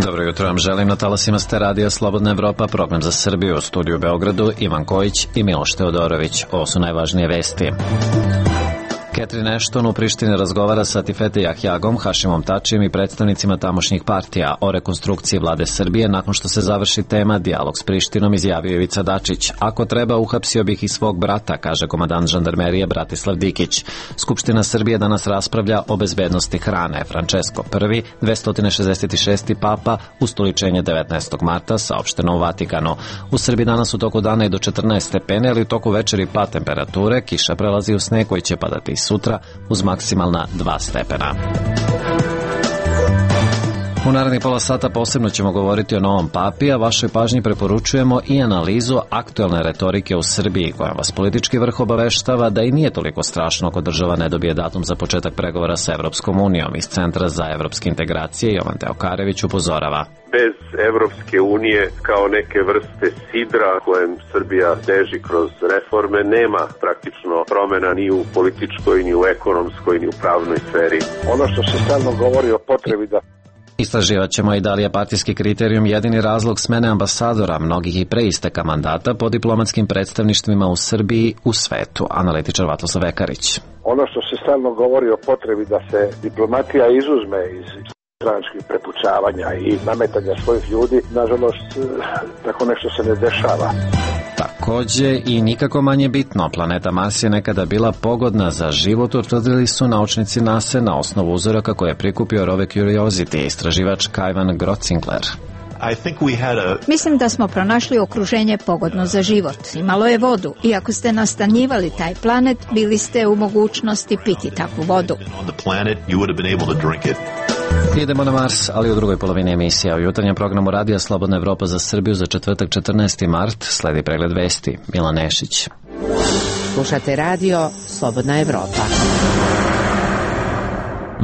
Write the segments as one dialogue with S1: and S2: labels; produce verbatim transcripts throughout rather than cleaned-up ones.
S1: Dobro jutro vam želim, na talasima ste radija Slobodna Evropa, program za Srbiju, u studiju u Beogradu, Ivan Kojić i Miloš Teodorović. Ovo su najvažnije vesti. Catherine Ashton u Prištini razgovara sa Atifete Jahjagom, Hašimom Tačijem i predstavnicima tamošnjih partija o rekonstrukciji vlade Srbije. Nakon što se završi tema dijalog s Prištinom, izjavio Ivica Dačić. Ako treba, uhapsio bih i svog brata, kaže komandant žandarmerije Bratislav Dikić. Skupština Srbije danas raspravlja o bezbednosti hrane. Francesco prvi, dvesta šezdeset šesti papa, ustoličenje devetnaestog marta, saopšteno u Vatikanu. U Srbiji danas u toku dana i do četrnaest stepeni, ali u toku večeri pad temperature, kiša prelazi u sneg koji će padati sutra uz maksimalna dva stepena. U narednih pola sata posebno ćemo govoriti o novom papi, a vašoj pažnji preporučujemo i analizu aktuelne retorike u Srbiji, koja vas politički vrh obaveštava da i nije toliko strašno ako država ne dobije datum za početak pregovora sa Evropskom unijom. Iz Centra za evropske integracije Jovan Teokarević upozorava.
S2: Bez Evropske unije kao neke vrste sidra kojem Srbija teži kroz reforme nema praktično promena ni u političkoj, ni u ekonomskoj, ni u pravnoj sferi.
S3: Ono što se stalno govori o potrebi da
S1: Istraživat ćemo i da li je partijski kriterijum jedini razlog smene ambasadora, mnogih i pre isteka mandata po diplomatskim predstavništvima u Srbiji u svetu. Analitičar Vatoslav Vekarić.
S3: Ono što se stalno govori o potrebi da se diplomatija izuzme iz stranačkih prepucavanja i nametanja svojih ljudi, nažalost, tako nešto se ne dešava.
S1: Takođe i nikako manje bitno, planeta Mars je nekada bila pogodna za život, utvrdili su naučnici NASA na osnovu uzoraka koje je prikupio Rove Curiosity, istraživač Kajvan Grotzinkler.
S4: Mislim da smo pronašli okruženje pogodno za život. Imalo je vodu i ako ste nastanjivali taj planet, bili ste u mogućnosti piti takvu vodu.
S1: Idemo na Mars, ali u drugoj polovini emisija. U jutarnjem programu Radija Slobodna Evropa za Srbiju za četvrtak četrnaesti mart sledi pregled vesti. Milan Nešić.
S5: Slušate radio Slobodna Evropa.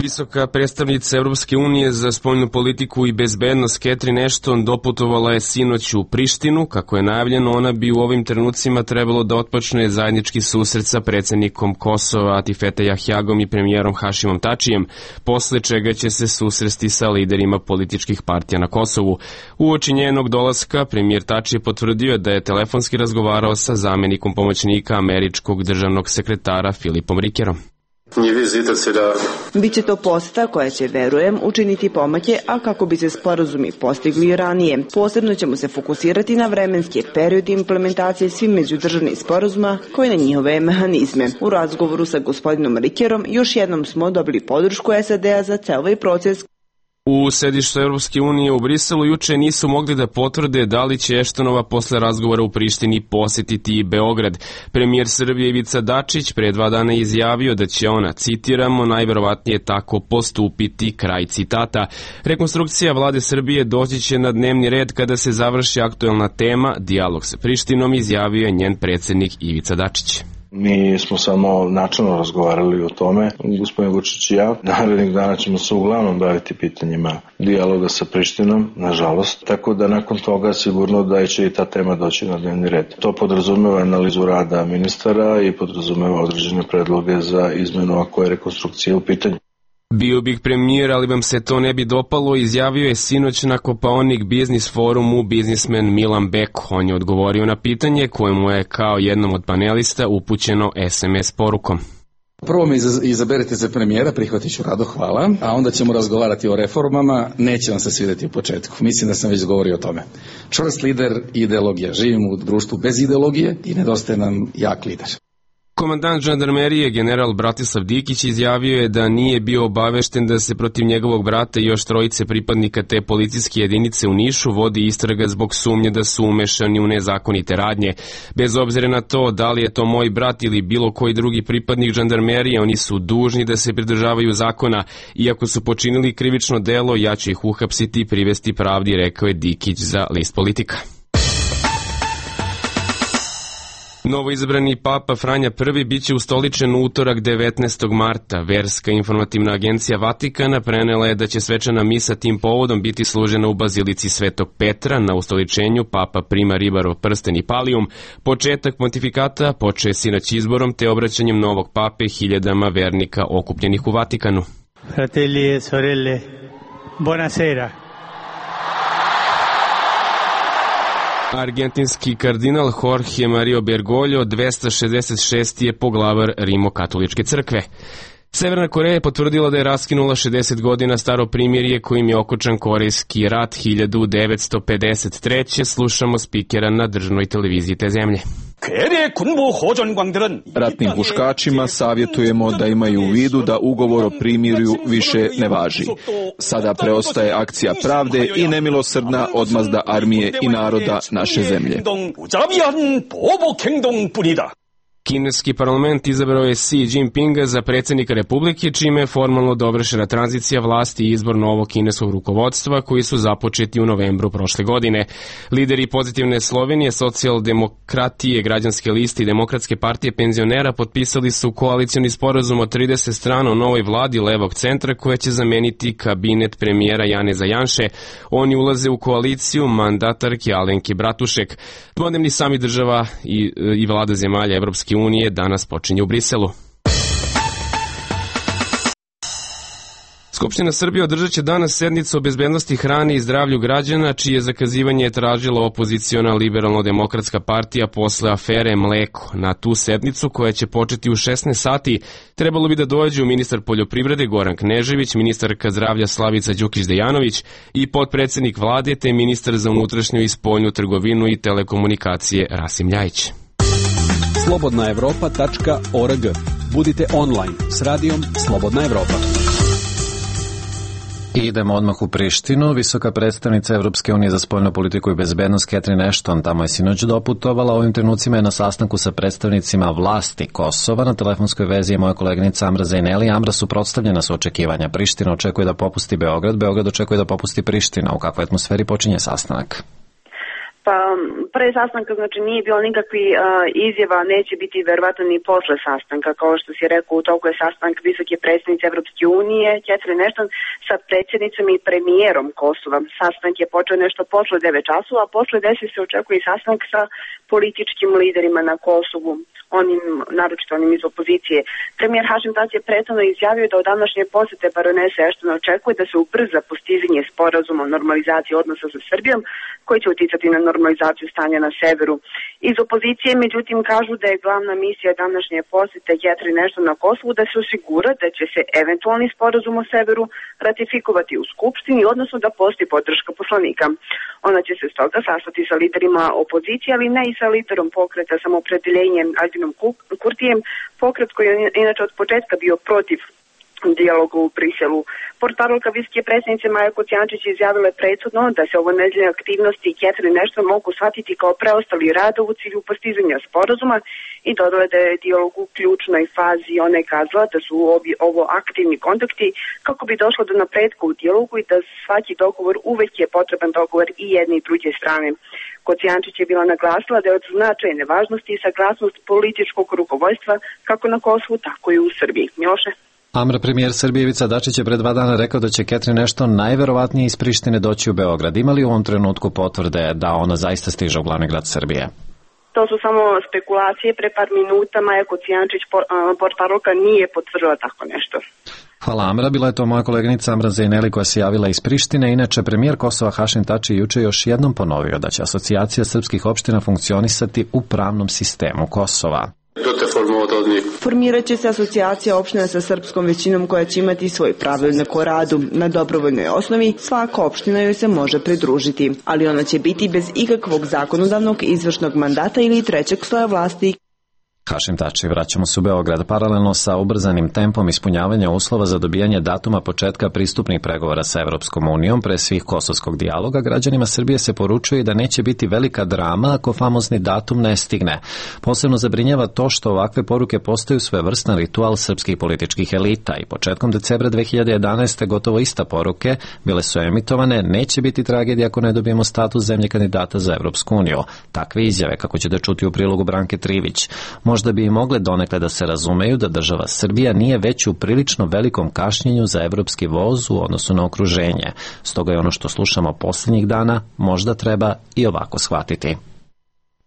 S6: Visoka predstavnica Evropske unije za spoljnu politiku i bezbednost Catherine Ashton doputovala je sinoć u Prištinu. Kako je najavljeno, ona bi u ovim trenucima trebalo da otpočne zajednički susret sa predsjednikom Kosova Atifete Jahjagom i premijerom Hašimom Tačijem, posle čega će se susresti sa liderima političkih partija na Kosovu. Uoči njenog dolaska, premijer Tači je potvrdio da je telefonski razgovarao sa zamenikom pomoćnika američkog državnog sekretara Filipom Rikerom.
S7: Biće to poseta koja će, verujem, učiniti pomake, a kako bi se sporazumi postigli ranije. Posebno ćemo se fokusirati na vremenski period implementacije svih međudržavnih sporazuma koji na njihove mehanizme. U razgovoru sa gospodinom Rikerom još jednom smo dobili podršku S A D-a za ceo ovaj proces.
S6: U sedištu Evropske unije u Briselu juče nisu mogli da potvrde da li će Eštonova posle razgovora u Prištini posetiti i Beograd. Premijer Srbije Ivica Dačić pre dva dana izjavio da će ona, citiramo, najverovatnije tako postupiti, kraj citata. Rekonstrukcija vlade Srbije doći će na dnevni red kada se završi aktuelna tema, dijalog sa Prištinom, izjavio je njen predsjednik Ivica Dačić.
S8: Mi smo samo načelno razgovarali o tome, gospodin Vučić i ja. Narednih dana ćemo se uglavnom baviti pitanjima dijaloga sa Prištinom, nažalost. Tako da nakon toga sigurno da će i ta tema doći na dnevni red. To podrazumeva analizu rada ministara i podrazumeva određene predloge za izmenu ako je rekonstrukcija u pitanju.
S6: Bio bih premijer, ali vam se to ne bi dopalo, izjavio je sinoć na Kopaonik Biznis forumu biznismen Milan Beko. On je odgovorio na pitanje koje mu je kao jednom od panelista upućeno S M S porukom.
S9: Prvo me izaberete za premijera, prihvatit ću rado, hvala, a onda ćemo razgovarati o reformama, neće vam se svidjeti u početku. Mislim da sam već govorio o tome. Čvrst lider i ideologija. Živimo u društvu bez ideologije i nedostaje nam jak lider.
S6: Komandant žandarmerije general Bratislav Dikić izjavio je da nije bio obavešten da se protiv njegovog brata i još trojice pripadnika te policijske jedinice u Nišu vodi istraga zbog sumnje da su umešani u nezakonite radnje. Bez obzira na to da li je to moj brat ili bilo koji drugi pripadnik žandarmerije, oni su dužni da se pridržavaju zakona. Iako su počinili krivično delo, ja ću ih uhapsiti i privesti pravdi, rekao je Dikić za List Politika. Novoizabrani papa Franja prvi biće ustoličen u utorak devetnaestog marta. Verska informativna agencija Vatikana prenela je da će svečana misa tim povodom biti služena u bazilici Svetog Petra. Na ustoličenju papa prima ribarov prsten i palijum. Početak pontifikata počeo sinoć izborom te obraćanjem novog pape hiljadama vernika okupljenih u Vatikanu.
S10: Fratelli e sorelle, buonasera.
S6: Argentinski kardinal Jorge Mario Bergoglio dvesta šezdeset šesti je poglavar Rimokatoličke crkve. Severna Koreja je potvrdila da je raskinula šezdeset godina staro primirje kojim je okončan Korejski rat hiljadu devetsto pedeset treće. Slušamo spikera na državnoj televiziji te zemlje.
S10: Ratnim huškačima savjetujemo da imaju u vidu da ugovor o primirju više ne važi. Sada preostaje akcija pravde i nemilosrdna odmazda armije i naroda naše zemlje.
S6: Kineski parlament izabrao je Xi Jinpinga za predsjednika Republike, čime je formalno dovršena tranzicija vlasti i izbor novog kineskog rukovodstva koji su započeti u novembru prošle godine. Lideri Pozitivne Slovenije, Socijaldemokratije, Građanske liste i Demokratske partije penzionera potpisali su koalicioni sporazum od trideset strana o novoj vladi levog centra koja će zameniti kabinet premijera Janeza Janše. Oni ulaze u koaliciju mandatarke Alenke Bratušek. Dvodnevni samit država i, i vlada zemalja Evropske unije danas počinje u Briselu. Skupština Srbije održat će danas sednicu o bezbednosti hrane i zdravlju građana, čije zakazivanje je tražila opoziciona liberalno-demokratska partija posle afere Mleko. Na tu sednicu, koja će početi u šesnaest sati, trebalo bi da dođu ministar poljoprivrede Goran Knežević, ministarka zdravlja Slavica Đukić-Dejanović i potpredsednik vlade te ministar za unutrašnju i spoljnu trgovinu i telekomunikacije Rasim Ljajić.
S11: slobodna evropa tačka org. Budite online s radijom Slobodna Evropa.
S1: Idemo odmah u Prištinu. Visoka predstavnica Evropske unije za spoljnu politiku i bezbednost Catherine Ashton tamo je sinoć doputovala. Ovim trenucima je na sastanku sa predstavnicima vlasti Kosova. Na telefonskoj vezi je moja koleginica Amra Zajneli. Amra, suprotstavljena su očekivanja. Priština očekuje da popusti Beograd, Beograd očekuje da popusti Priština. U kakvoj atmosferi počinje sastanak?
S12: Pa pre sastanka znači nije bilo nikakvi uh, izjava, neće biti verovatno ni posle sastanka, kao što si rekao, u toku je sastanak visoke predstavnice Evropske unije Catherine Ashton sa predsjednicom i premijerom Kosova. Sastanak je počeo nešto posle devet časova, a posle deset se očekuje i sastanak sa političkim liderima na Kosovu, onim, naročito onim iz opozicije. Premijer Hašim Tači je prethodno izjavio da od današnje posete baronese Ashton očekuje da se ubrza postizanje sporazuma o normalizaciji odnosa sa Srbijom, koji će uticati na normalizaciju stanja na severu. Iz opozicije, međutim, kažu da je glavna misija današnje posete Catherine Ashton na Kosovu da se osigura da će se eventualni sporazum o severu ratifikovati u Skupštini, odnosno da postoji podrška poslanika. Ona će se stoga sastati sa liderima opozicije, ali ne i sa liderom pokreta Samoopredeljenjem Albinom Kurtijem, pokret koji je inače od početka bio protiv dijalogu u Briselu. Portparolka visoke predsjednice Maja Kocijančić izjavila je prethodno da se ovo nedeljne aktivnosti Catherine Ashton mogu shvatiti kao preostali rada u cilju postizanja sporazuma i dodala da je dijalog u ključnoj fazi. Ona je kazala da su ovi, ovo aktivni kontakti kako bi došlo do napretka u dijalogu i da svaki dogovor uvek je potreban dogovor i jedne i druge strane. Kocijančić je bila naglasila da je od značajne važnosti i saglasnost političkog rukovodstva kako na Kosovu, tako i u Srbiji. Miloše?
S1: Amra, premijer Srbije Ivica Dačić je pre dva dana rekao da će Catherine Ashton najverovatnije iz Prištine doći u Beograd. Ima li u ovom trenutku potvrde da ona zaista stiže u glavni grad Srbije?
S12: To su samo spekulacije. Pre par minuta Maja Kocijančić, portparolka, nije potvrdila tako nešto.
S1: Hvala, Amra. Bila je to moja koleginica Amra Zajneli koja se javila iz Prištine. Inače, premijer Kosova Hašim Tači juče još jednom ponovio da će asocijacija srpskih opština funkcionisati u pravnom sistemu Kosova.
S7: Formirat će se asocijacija opština sa srpskom većinom koja će imati svoj pravilnik o radu. Na dobrovoljnoj osnovi svaka opština joj se može pridružiti, ali ona će biti bez ikakvog zakonodavnog izvršnog mandata ili trećeg sloja vlasti.
S1: Hašim Tači, vraćamo se u Beograd. Paralelno sa ubrzanim tempom ispunjavanja uslova za dobijanje datuma početka pristupnih pregovora sa Evropskom unijom pre svih kosovskog dijaloga, građanima Srbije se poručuje da neće biti velika drama ako famozni datum ne stigne. Posebno zabrinjava to što ovakve poruke postaju svevrstan ritual srpskih političkih elita i početkom decembra dve hiljade jedanaeste. gotovo ista poruke bile su emitovane: neće biti tragedija ako ne dobijemo status zemlje kandidata za Evropsku uniju. Takve izjave, kako ćete čuti u prilogu Branke Trivić, možda bi i mogle donekle da se razumeju da država Srbija nije već u prilično velikom kašnjenju za evropski voz u odnosu na okruženje. Stoga je ono što slušamo posljednjih dana možda treba i ovako shvatiti.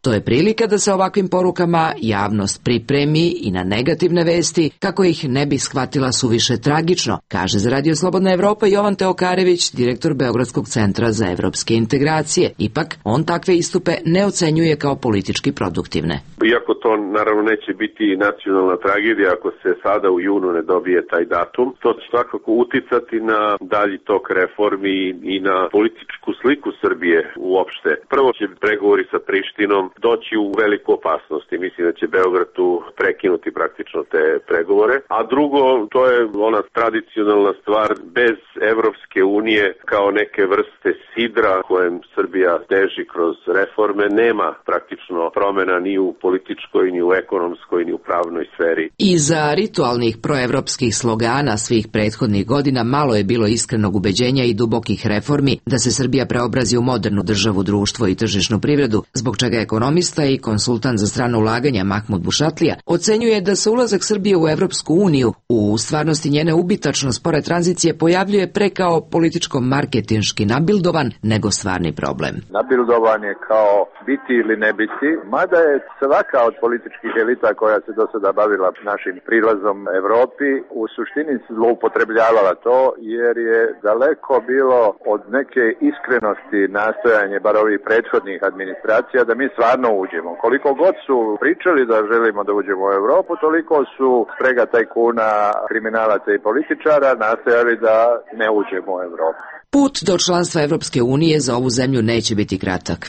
S13: To je prilika da se ovakvim porukama javnost pripremi i na negativne vesti kako ih ne bi shvatila suviše tragično, kaže za Radio Slobodna Evropa Jovan Teokarević, direktor Beogradskog centra za evropske integracije. Ipak, on takve istupe ne ocenjuje kao politički produktivne.
S2: Iako to naravno neće biti nacionalna tragedija ako se sada u junu ne dobije taj datum, to će svakako uticati na dalji tok reformi i na političku sliku Srbije uopšte. Prvo će pregovori sa Prištinom doći u veliku opasnost i mislim da će Beograd tu prekinuti praktično te pregovore. A drugo, to je ona tradicionalna stvar, bez Evropske unije kao neke vrste sidra kojem Srbija teži kroz reforme, nema praktično promena ni u političkoj, ni u ekonomskoj, ni u pravnoj sferi.
S13: Iza ritualnih proevropskih slogana svih prethodnih godina malo je bilo iskrenog ubeđenja i dubokih reformi da se Srbija preobrazi u modernu državu, društvo i tržišnu privredu, zbog čega ekonomista i konsultant za strano ulaganja Mahmud Bušatlija ocenjuje da se ulazak Srbije u Evropsku uniju u stvarnosti njene ubitačno spore tranzicije pojavljuje pre kao političko-marketinški nabildovan nego stvarni problem.
S3: Nabildovan je kao biti ili ne biti, mada je svaka od političkih elita koja se do sada bavila našim prilazom Evropi u suštini zloupotrebljavala to, jer je daleko bilo od neke iskrenosti nastojanje bar ovih prethodnih administracija da mi stvarno uđemo. Koliko god su pričali da želimo da uđemo u Evropu, toliko su sprega tajkuna, kriminalaca i političara nastojali da ne uđemo u Evropu.
S13: Put do članstva Evropske unije za ovu zemlju neće biti kratak.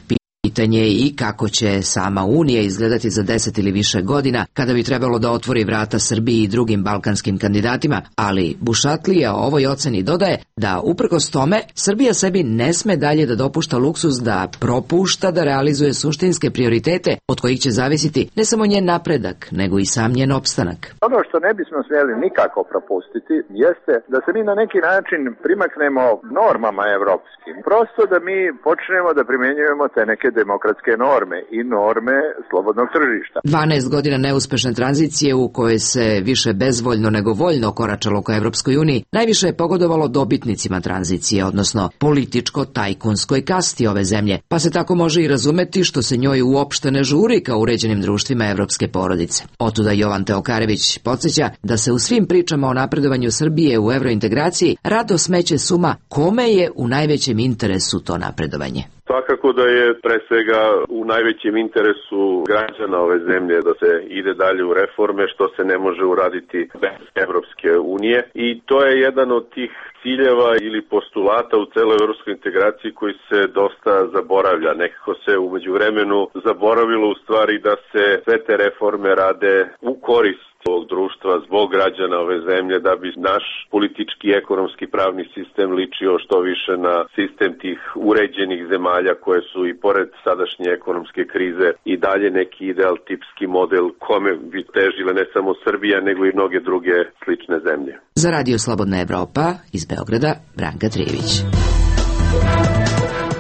S13: Pitanje je i kako će sama Unija izgledati za deset ili više godina kada bi trebalo da otvori vrata Srbiji i drugim balkanskim kandidatima, ali Bušatlija o ovoj oceni dodaje da uprkos tome Srbija sebi ne sme dalje da dopušta luksuz da propušta da realizuje suštinske prioritete od kojih će zavisiti ne samo njen napredak, nego i sam njen opstanak.
S3: Ono što ne bismo smjeli nikako propustiti jeste da se mi na neki način primaknemo normama evropskim. Prosto da mi počnemo da primjenjujemo te neke demokratske norme i norme slobodnog tržišta.
S13: dvanaest godina neuspešne tranzicije u kojoj se više bezvoljno nego voljno koračalo ka Evropskoj uniji najviše je pogodovalo dobitnicima tranzicije, odnosno političko-tajkunskoj kasti ove zemlje, pa se tako može i razumeti što se njoj uopšte ne žuri ka uređenim društvima evropske porodice. Otuda Jovan Teokarević podsjeća da se u svim pričama o napredovanju Srbije u evrointegraciji rado smeće suma kome je u najvećem interesu to napredovanje.
S2: Svakako da je pre svega u najvećem interesu građana ove zemlje da se ide dalje u reforme, što se ne može uraditi bez Evropske unije, i to je jedan od tih ciljeva ili postulata u celoj evropskoj integraciji koji se dosta zaboravlja. Nekako se umeđu vremenu zaboravilo u stvari da se sve te reforme rade u korist ovog društva, zbog građana ove zemlje, da bi naš politički, ekonomski, pravni sistem ličio što više na sistem tih uređenih zemalja koje su i pored sadašnje ekonomske krize i dalje neki ideal tipski model kome bi težile ne samo Srbija nego i mnoge druge slične zemlje.
S13: Za Radio Slobodna Evropa iz Beograda, Branka Trijević.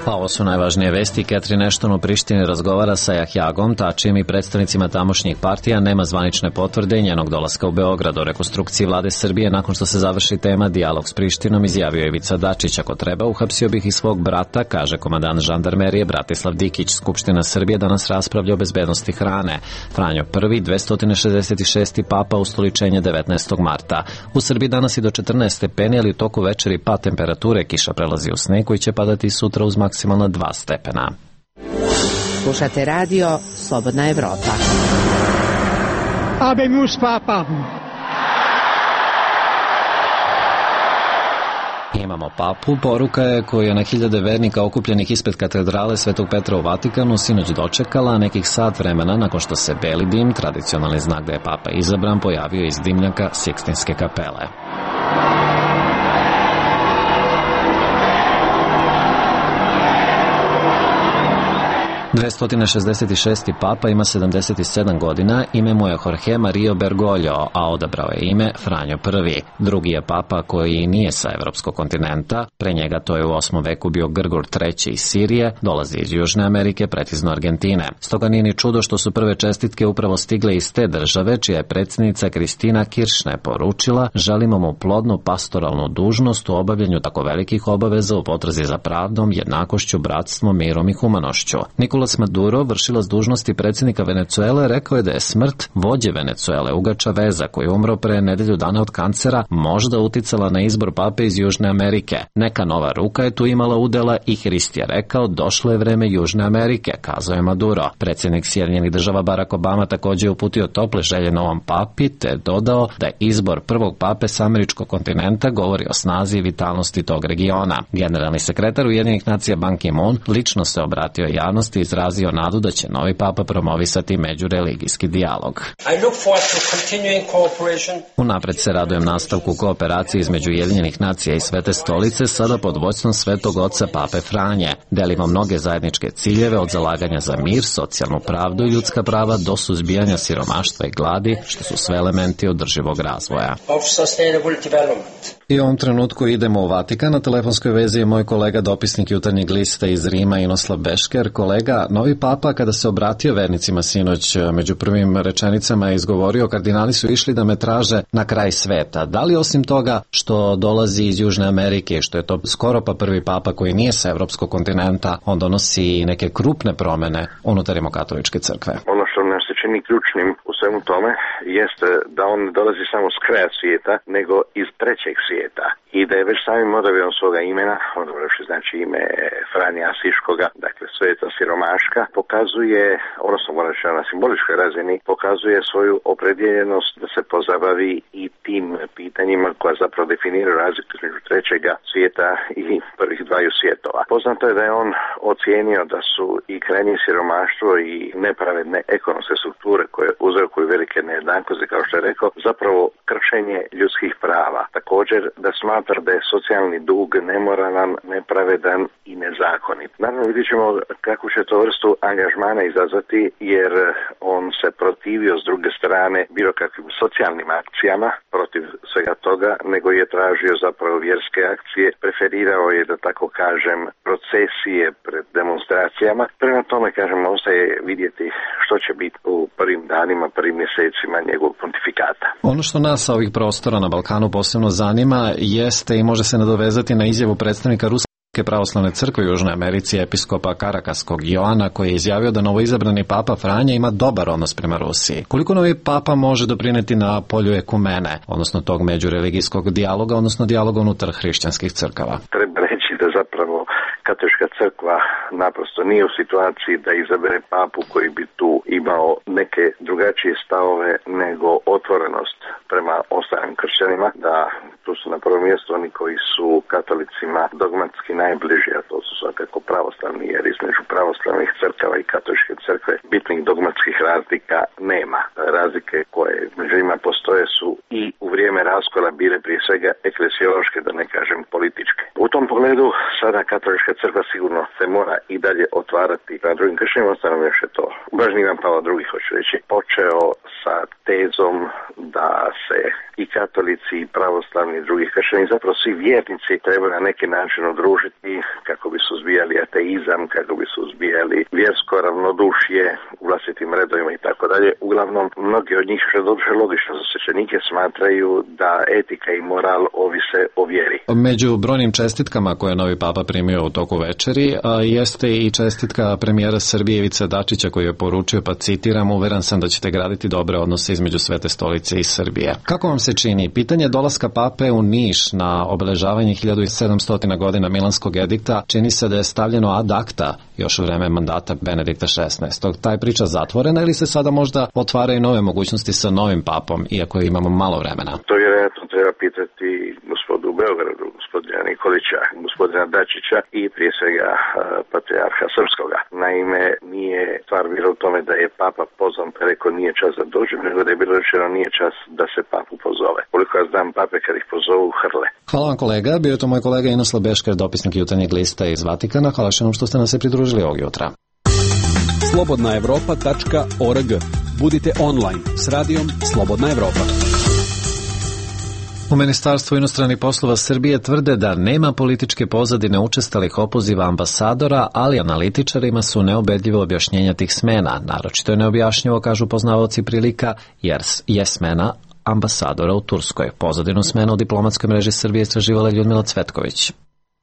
S1: Pa ovo su najvažnije vesti. Catherine Ashton u Prištini razgovara sa Jahjagom Tačijem i predstavnicima tamošnjih partija. Nema zvanične potvrde njenog dolaska u Beograd. O rekonstrukciji vlade Srbije nakon što se završi tema dijalog s Prištinom izjavio je Ivica Dačić. Ako treba, uhapsio bih i svog brata, kaže komandant žandarmerije Bratislav Dikić. Skupština Srbije danas raspravlja o bezbednosti hrane. Franjo Prvi, dvesta šezdeset šesti papa, ustoličenje devetnaestog marta. U Srbiji danas i do četrnaest stepeni, ali u toku večeri pad temperature, kiša prelazi u sneg koji će padati sutra uz maksimalno dva stepena.
S5: Slušate radio Slobodna Evropa.
S14: Habemus papam.
S1: Imamo papu, poruka je koju je na hiljade vernika okupljenih ispred katedrale Svetog Petra u Vatikanu sinoć dočekala nekih sat vremena nakon što se beli dim, tradicionalni znak da je papa izabran, pojavio iz dimnjaka Sikstinske kapele. dvesta šezdeset šesti papa ima sedamdeset sedam godina, ime mu je Jorge Mario Bergoglio, a odabrao je ime Franjo Prvi. Drugi je papa koji nije sa evropskog kontinenta, pre njega to je u osmom veku bio Grgur Treći iz Sirije, dolazi iz Južne Amerike, precizno Argentine. Stoga nije ni čudo što su prve čestitke upravo stigle iz te države, čija je predsjednica Kristina Kiršner poručila: želimo mu plodnu pastoralnu dužnost u obavljanju tako velikih obaveza u potrazi za pravdom, jednakošću, bratstvom, mirom i humanošću. Nikola Nicolas Maduro, vršilac dužnosti predsjednika Venecuele, rekao je da je smrt vođe Venecuele, Huga Chaveza, koji je umro pre nedelju dana od kancera, možda uticala na izbor pape iz Južne Amerike. Neka nova ruka je tu imala udela i Hrist je rekao, došlo je vreme Južne Amerike, kazao je Maduro. Predsjednik Sjedinjenih država Barack Obama također je uputio tople želje novom papi, te dodao da je izbor prvog pape s američkog kontinenta govori o snazi i vitalnosti tog regiona. Generalni sekretar Ujedinjenih nacija Ban Ki-moon lično se obratio javnosti i izrazio nadu da će novi papa promovisati međureligijski dijalog. Unapred se radujem nastavku kooperacije između Ujedinjenih nacija i Svete stolice, sada pod vođstvom Svetog oca Pape Franje. Delimo mnoge zajedničke ciljeve, od zalaganja za mir, socijalnu pravdu i ljudska prava do suzbijanja siromaštva i gladi, što su sve elementi održivog razvoja. I u ovom trenutku idemo u Vatikan. Na telefonskoj vezi je moj kolega, dopisnik Jutarnjeg lista iz Rima, Inoslav Bešker. Kolega, novi papa kada se obratio vernicima sinoć, među prvim rečenicama je izgovorio, kardinali su išli da me traže na kraj sveta. Da li osim toga što dolazi iz Južne Amerike, što je to skoro pa prvi papa koji nije sa evropskog kontinenta, on donosi neke krupne promene unutar Rimokatoličke crkve?
S14: Ono što nam se čini ključnim u svemu tome jeste da on ne dolazi samo s kraja svijeta, nego iz trećeg svijeta. I da je već samim odabirom svoga imena, odabravši znači ime Franje Asiškoga, dakle sveta siromaška, pokazuje, odnosno moraš na simboličkoj razini, pokazuje svoju opredjeljenost da se pozabavi i tim pitanjima koja zapravo definiraju razliku između trećega svijeta i prvih dvaju svjetova. Poznato je da je on ocijenio da su i krajnje siromaštvo i nepravedne ekonomske strukture koje uzrokuju velike nejednakosti, kao što je rekao, zapravo kršenje ljudskih prava. Također da smatra da je socijalni dug nemoralan, nepravedan i nezakonit. Naravno vidjet ćemo kako će to vrstu angažmana izazvati, jer on se protivio s druge strane bilo kakvim socijalnim akcijama protiv svega toga, nego je tražio zapravo vjerske akcije, preferirao je, da tako kažem, procesije pred demonstracijama. Prema tome, kažem, ostaje vidjeti što će biti u prvim danima, prvim mjesecima njegovog pontifikata.
S1: Ono što nas sa ovih prostora na Balkanu posebno zanima jeste i može se nadovezati na izjavu predstavnika Ruske pravoslavne crkve u Južnoj Americi, episkopa Karakaskog Joana, koji je izjavio da novoizabrani papa Franje ima dobar odnos prema Rusiji. Koliko novi papa može doprineti na polju ekumene, odnosno tog međureligijskog dijaloga, odnosno dijaloga unutar hrišćanskih crkava?
S14: Treba reći da zapravo Katolička crkva naprosto nije u situaciji da izabere papu koji bi tu imao neke drugačije stavove nego otvorenost prema ostalim kršćanima, da tu su na prvom mjestu oni koji su katolicima dogmatski najbliži, a to su svakako pravoslavni, jer između pravoslavnih crkava i katoličke crkve bitnih dogmatskih razlika nema. Razlike koje među njima postoje su i u vrijeme raskola bile prije svega eklesiološke, da ne kažem političke. U tom pogledu sada katolička crkva sigurno se mora i dalje otvarati na drugim kršćanima, ostalo još je to Blaženi Ivan Pavao drugi, hoću reći, počeo sa tezom da se i katolici i pravoslavni i drugi kršćani, zapravo svi vjernici trebaju na neki način udružiti kako bi suzbijali ateizam, kako bi suzbijali vjersko ravnodušje u vlastitim redovima i tako dalje. Uglavnom, mnogi od njih, što je dobro logično za svećenike, smatraju da etika i moral ovise o vjeri.
S1: Među brojnim čestitkama koje je novi papa primio u toku večeri jeste i čestitka premijera Srbije Ivice Dačića, koji je poručio, pa citiram, uveren sam da ćete graditi dobre odnose između Svete stolice i Srbije. Kako vam se čini pitanje dolaska pape u Niš na obeležavanje hiljadu sedamsto godina Milanskog edikta? Čini se da je stavljeno ad acta još u vreme mandata Benedikta šesnaestog. Taj priča zatvorena ili se sada možda otvaraju nove mogućnosti sa novim papom, iako imamo malo vremena?
S14: To vjerojatno treba pitati gospodu u Beogradu, gospodina Nikolića, gospodina Dačića i prije svega patrijarha Srpskoga. Naime, nije stvar bila u tome da je papa pozvan pa rekao nije čas da dođe, nego da je bilo rečeno nije čas da se papu pozove. Koliko ja znam, pape kad ih pozovu hrle.
S1: Hvala vam kolega, bio je to moj kolega Inoslav Bešker, dopisnik Jutarnjeg lista iz Vatikana. Hvala što nam što ste nam se pridružili ovog jutra.
S11: slobodna evropa tačka org. Budite online s radijom Slobodna Evropa.
S1: U Ministarstvu inostranih poslova Srbije tvrde da nema političke pozadine učestalih opoziva ambasadora, ali analitičarima su neubedljivo objašnjenja tih smena. Naročito je neobjašnjivo, kažu poznavaoci prilika, jer je smena ambasadora u Turskoj. Pozadinu smena u diplomatskoj mreži Srbije istraživala Ljudmila Cvetković.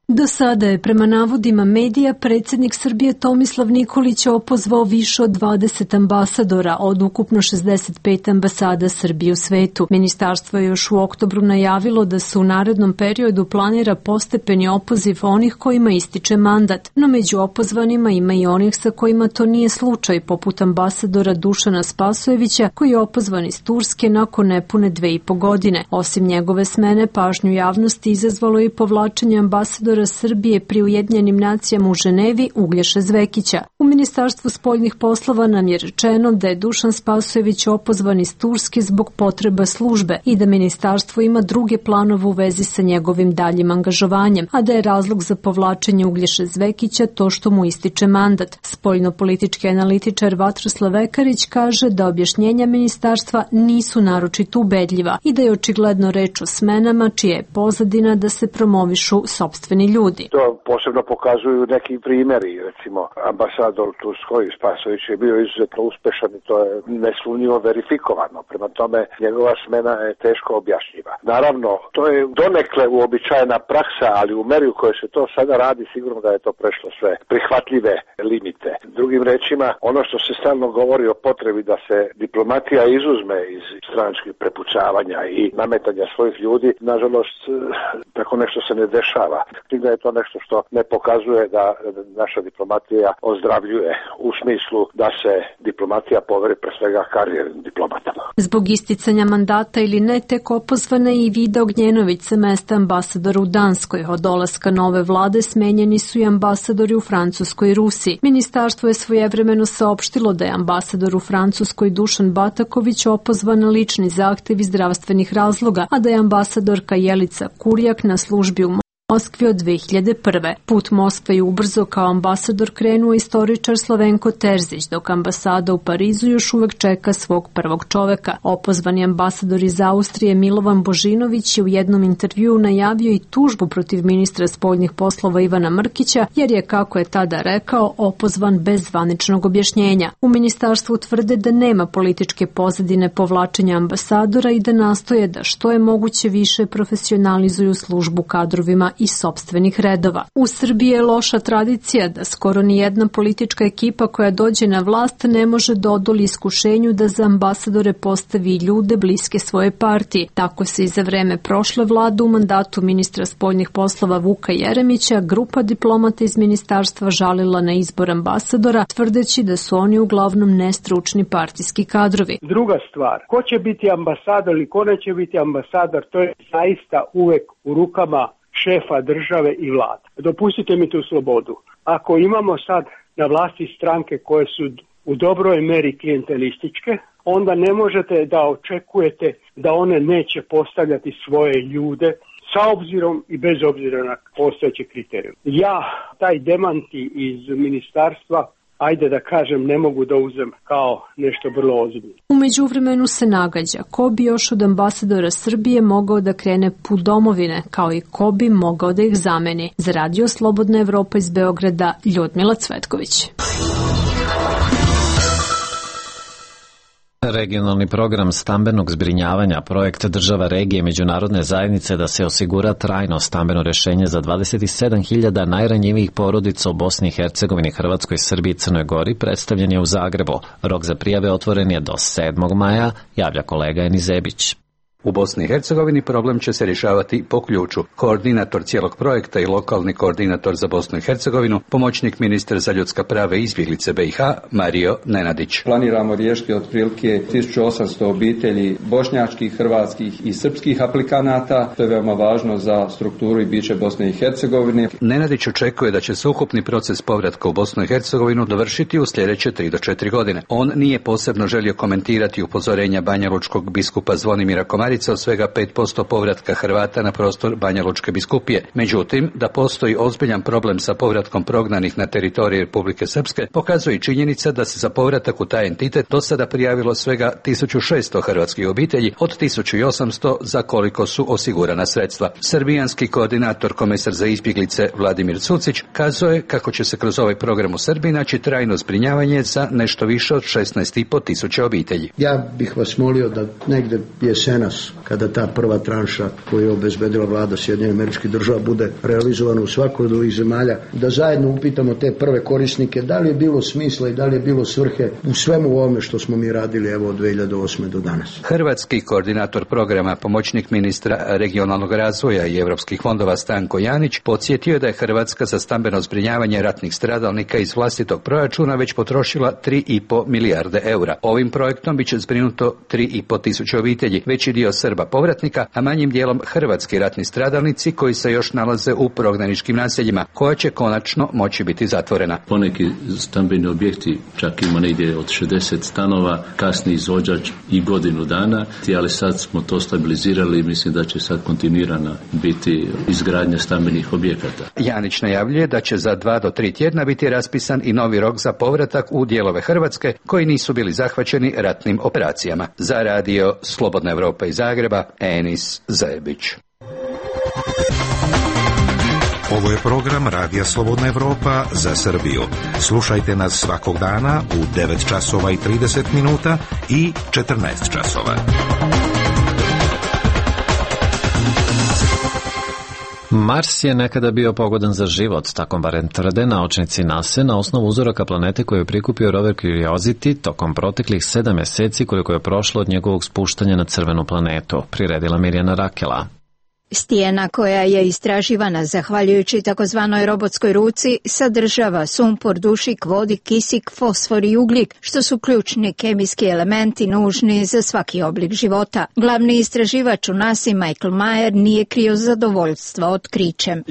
S15: Do sada je, prema navodima medija, predsjednik Srbije Tomislav Nikolić opozvao više od dvadeset ambasadora od ukupno šezdeset pet ambasada Srbije u svetu. Ministarstvo je još u oktobru najavilo da se u narednom periodu planira postepeni opoziv onih kojima ističe mandat, no među opozvanima ima i onih sa kojima to nije slučaj, poput ambasadora Dušana Spasojevića, koji je opozvan iz Turske nakon nepune dve i po godine. Osim njegove smene, pažnju javnosti izazvalo i povlačenje ambasadora Srbije pri Ujedinjenim nacijama u Ženevi Uglješe Zvekića. U Ministarstvu spoljnih poslova nam je rečeno da je Dušan Spasojević opozvan iz Turske zbog potreba službe i da ministarstvo ima druge planove u vezi sa njegovim daljim angažovanjem, a da je razlog za povlačenje Uglješe Zvekića to što mu ističe mandat. Spoljnopolitički analitičar Vatroslav Ekarić kaže da objašnjenja ministarstva nisu naročito ubedljiva i da je očigledno reč o smenama čija je pozadina da se promovišu sopstveni ljudi.
S16: To posebno pokazuju neki primjeri, recimo ambasador Turskoj Spasojević je bio izuzetno uspešan i to je nesumnjivo verifikovano. Prema tome, njegova smena je teško objašnjiva. Naravno, to je donekle uobičajena praksa, ali u meri u kojoj se to sada radi, sigurno da je to prešlo sve prihvatljive limite. Drugim rečima, ono što se stalno govori o potrebi da se diplomatija izuzme iz stranačkih prepucavanja i nametanja svojih ljudi, nažalost, tako nešto se ne dešava. Da je to nešto što ne pokazuje da naša diplomatija ozdravljuje u smislu da se diplomatija poveri pre svega karijernim diplomatama.
S15: Zbog isticanja mandata ili ne, tek opozvana je i Vida Ognjenović sa mesta ambasadora u Danskoj. Od dolaska nove vlade smenjeni su i ambasadori u Francuskoj i Rusiji. Ministarstvo je svojevremeno saopštilo da je ambasador u Francuskoj Dušan Bataković opozvan na lični zahtev iz zdravstvenih razloga, a da je ambasadorka Jelica Kurjak na službi u Moskvi od dve hiljade prve. Put Moskve je ubrzo kao ambasador krenuo istoričar Slavenko Terzić, dok ambasada u Parizu još uvek čeka svog prvog čoveka. Opozvani ambasador iz Austrije Milovan Božinović je u jednom intervjuu najavio i tužbu protiv ministra spoljnih poslova Ivana Mrkića, jer je, kako je tada rekao, opozvan bez zvaničnog objašnjenja. U ministarstvu tvrde da nema političke pozadine povlačenja ambasadora i da nastoje da što je moguće više profesionalizuju službu kadrovima iz sopstvenih redova. U Srbiji je loša tradicija da skoro ni jedna politička ekipa koja dođe na vlast ne može da odoli iskušenju da za ambasadore postavi ljude bliske svoje partiji. Tako se i za vreme prošle vlade u mandatu ministra spoljnih poslova Vuka Jeremića grupa diplomata iz ministarstva žalila na izbor ambasadora, tvrdeći da su oni uglavnom nestručni partijski kadrovi.
S17: Druga stvar, ko će biti ambasador ili ko neće biti ambasador, to je zaista uvek u rukama šefa države i vlade. Dopustite mi tu slobodu. Ako imamo sad na vlasti stranke koje su u dobroj meri klijentelističke, onda ne možete da očekujete da one neće postavljati svoje ljude sa obzirom i bez obzira na postojeće kriterije. Ja taj demanti iz ministarstva, ajde da kažem, ne mogu da uzem kao nešto vrlo ozbiljno.
S15: U međuvremenu se nagađa ko bi još od ambasadora Srbije mogao da krene put domovine, kao i ko bi mogao da ih zameni. Za Radio Slobodna Evropa iz Beograda, Ljudmila Cvetković.
S1: Regionalni program stambenog zbrinjavanja, projekt država regije i međunarodne zajednice da se osigura trajno stambeno rešenje za dvadeset sedam hiljada najranjivijih porodica u Bosni i Hercegovini, Hrvatskoj, Srbiji i Crnoj Gori predstavljen je u Zagrebu. Rok za prijave otvoren je do sedmog maja, javlja kolega Eni Zebić.
S18: U Bosni i Hercegovini problem će se rješavati po ključu. Koordinator cijelog projekta i lokalni koordinator za Bosnu i Hercegovinu, pomoćnik ministra za ljudska prava i izbjeglice B i H, Mario Nenadić.
S19: Planiramo riješiti otprilike tisuću osamsto obitelji bošnjačkih, hrvatskih i srpskih aplikanata. To je veoma važno za strukturu i biće Bosne i Hercegovine.
S18: Nenadić očekuje da će se ukupni proces povratka u Bosnu i Hercegovinu dovršiti u sljedeće tri do četiri godine. On nije posebno želio komentirati upozorenja banjalučkog biskupa Zvonimira Komarića od svega pet posto povratka Hrvata na prostor Banja Lučke biskupije. Međutim, da postoji ozbiljan problem sa povratkom prognanih na teritoriji Republike Srpske, pokazuje i činjenica da se za povratak u taj entitet do sada prijavilo svega tisuću šesto hrvatskih obitelji od tisuću osamsto za koliko su osigurana sredstva. Srbijanski koordinator komesar za izbjeglice Vladimir Cucić kazuje kako će se kroz ovaj program u Srbiji naći trajno zbrinjavanje za nešto više od šesnaest i po tisuća obitelji.
S20: Ja bih vas molio da negde jesenas nas, kada ta prva tranša koju je obezbedila vlada Sjedinjenih Američkih Država bude realizovana u svakoj od ovih zemalja, da zajedno upitamo te prve korisnike da li je bilo smisla i da li je bilo svrhe u svemu ovome što smo mi radili evo od dve hiljade osme do danas.
S18: Hrvatski koordinator programa, pomoćnik ministra regionalnog razvoja i europskih fondova Stanko Janić podsjetio je da je Hrvatska za stambeno zbrinjavanje ratnih stradalnika iz vlastitog proračuna već potrošila tri i po milijarde eura. Ovim projektom biće zbrinuto tri i po tisuće obitelji, veći dio Srba povratnika, a manjim dijelom hrvatski ratni stradalnici koji se još nalaze u prognaničkim naseljima, koja će konačno moći biti zatvorena.
S21: Poneki stambeni objekti čak ima negdje od šezdeset stanova, kasni izvođač i godinu dana, ali sad smo to stabilizirali i mislim da će sad kontinuirana biti izgradnja stambenih objekata.
S18: Janić najavljuje da će za dva do tri tjedna biti raspisan i novi rok za povratak u dijelove Hrvatske koji nisu bili zahvaćeni ratnim operacijama. Za radio Slobodna Evropa iz Zagreba, Enis Zajebić.
S22: Ovo je program Radija Slobodna Evropa za Srbiju. Slušajte nas svakog dana u devet časova i trideset minuta i četrnaest časova.
S1: Mars je nekada bio pogodan za život, tako barem tvrde naučnici NASA na osnovu uzoraka planete koju je prikupio rover Curiosity tokom proteklih sedam mjeseci koliko je prošlo od njegovog spuštanja na crvenu planetu, priredila Mirjana Rakela.
S4: Stijena koja je istraživana zahvaljujući takozvanoj robotskoj ruci sadržava sumpor, dušik, vodik, kisik, fosfor i ugljik, što su ključni kemijski elementi nužni za svaki oblik života. Glavni istraživač u nasi Michael Mayer nije krio zadovoljstva otkrićem.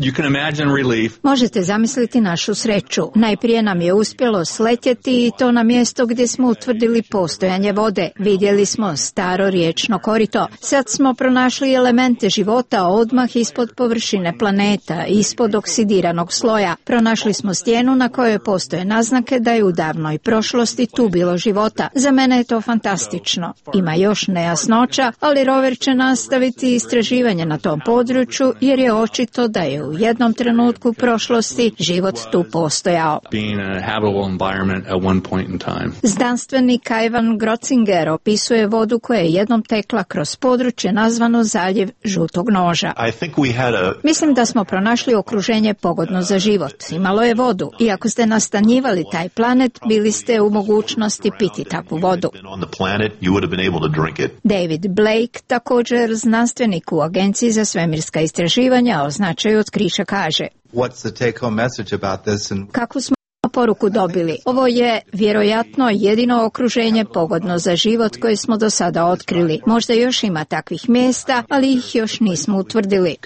S4: Možete zamisliti našu sreću. Najprije nam je uspjelo sletjeti i to na mjesto gdje smo utvrdili postojanje vode. Vidjeli smo staro riječno korito. Sad smo pronašli elemente života odmah ispod površine planeta, ispod oksidiranog sloja. Pronašli smo stijenu na kojoj postoje naznake da je u davnoj prošlosti tu bilo života. Za mene je to fantastično. Ima još nejasnoća, ali rover će nastaviti istraživanje na tom području jer je očito da je u jednom trenutku prošlosti život tu postojao. Znanstvenik Ivan Grotzinger opisuje vodu koja je jednom tekla kroz područje nazvano zaljev žutog noža. Mislim da smo pronašli okruženje pogodno za život. Imalo je vodu i ako ste nastanjivali taj planet, bili ste u mogućnosti piti takvu vodu. David Blake, također znanstvenik u Agenciji za svemirska istraživanja, o značaju otkrića kaže: Kako smo poruku dobili? Ovo je vjerojatno jedino okruženje pogodno za život koje smo do sada otkrili. Možda još ima takvih mjesta, ali ih još nismo utvrdili.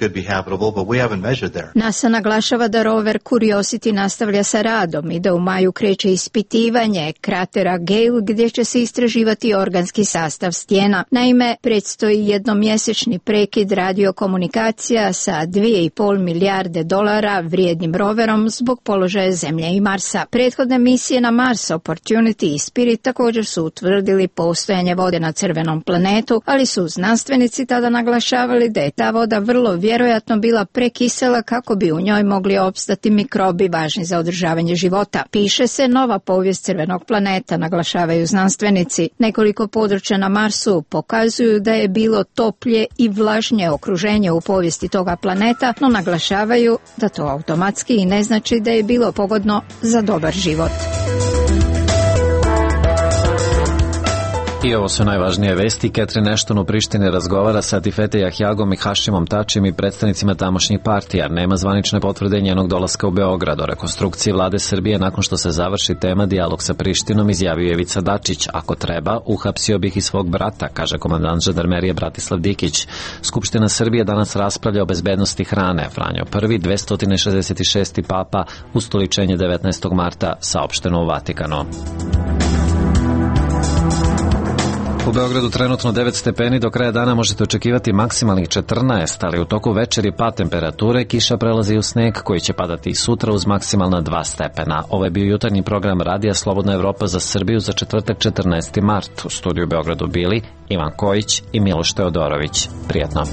S4: NASA naglašava da rover Curiosity nastavlja sa radom i da u maju kreće ispitivanje kratera Gale gdje će se istraživati organski sastav stijena. Naime, predstoji jednomjesečni prekid radiokomunikacija sa dvije i pol milijarde dolara vrijednim roverom zbog položaja Zemlje i Marsa. Prethodne misije na Mars, Opportunity i Spirit također su utvrdili postojanje vode na crvenom planetu, ali su znanstvenici tada naglašavali da je ta voda vrlo vjerojatno bila prekisela kako bi u njoj mogli opstati mikrobi važni za održavanje života. Piše se nova povijest crvenog planeta, naglašavaju znanstvenici. Nekoliko područja na Marsu pokazuju da je bilo toplje i vlažnije okruženje u povijesti toga planeta, no naglašavaju da to automatski i ne znači da je bilo pogodno za dobar život.
S1: I ovo su najvažnije vesti. Catherine Ashton u Prištini razgovara sa Atifete Jahjagom i Hašimom Tačijem i predstavnicima tamošnjih partija. Nema zvanične potvrde njenog dolaska u Beograd. O rekonstrukciji vlade Srbije nakon što se završi tema dijalog sa Prištinom izjavio je Ivica Dačić. Ako treba, uhapsio bih i svog brata, kaže komandant žandarmerije Bratislav Dikić. Skupština Srbije danas raspravlja o bezbednosti hrane. Franjo Prvi, dvesta šezdeset šesti papa, ustoličenje devetnaestog marta, saopšteno u Vatikanu. U Beogradu trenutno devet stepeni, do kraja dana možete očekivati maksimalnih četrnaest, ali u toku večeri pad temperature, kiša prelazi u sneg koji će padati i sutra uz maksimalna dva stepena. Ovo je bio jutarnji program Radija Slobodna Evropa za Srbiju za četvrtak četrnaesti mart. U studiju u Beogradu bili Ivan Kojić i Miloš Teodorović. Prijetno.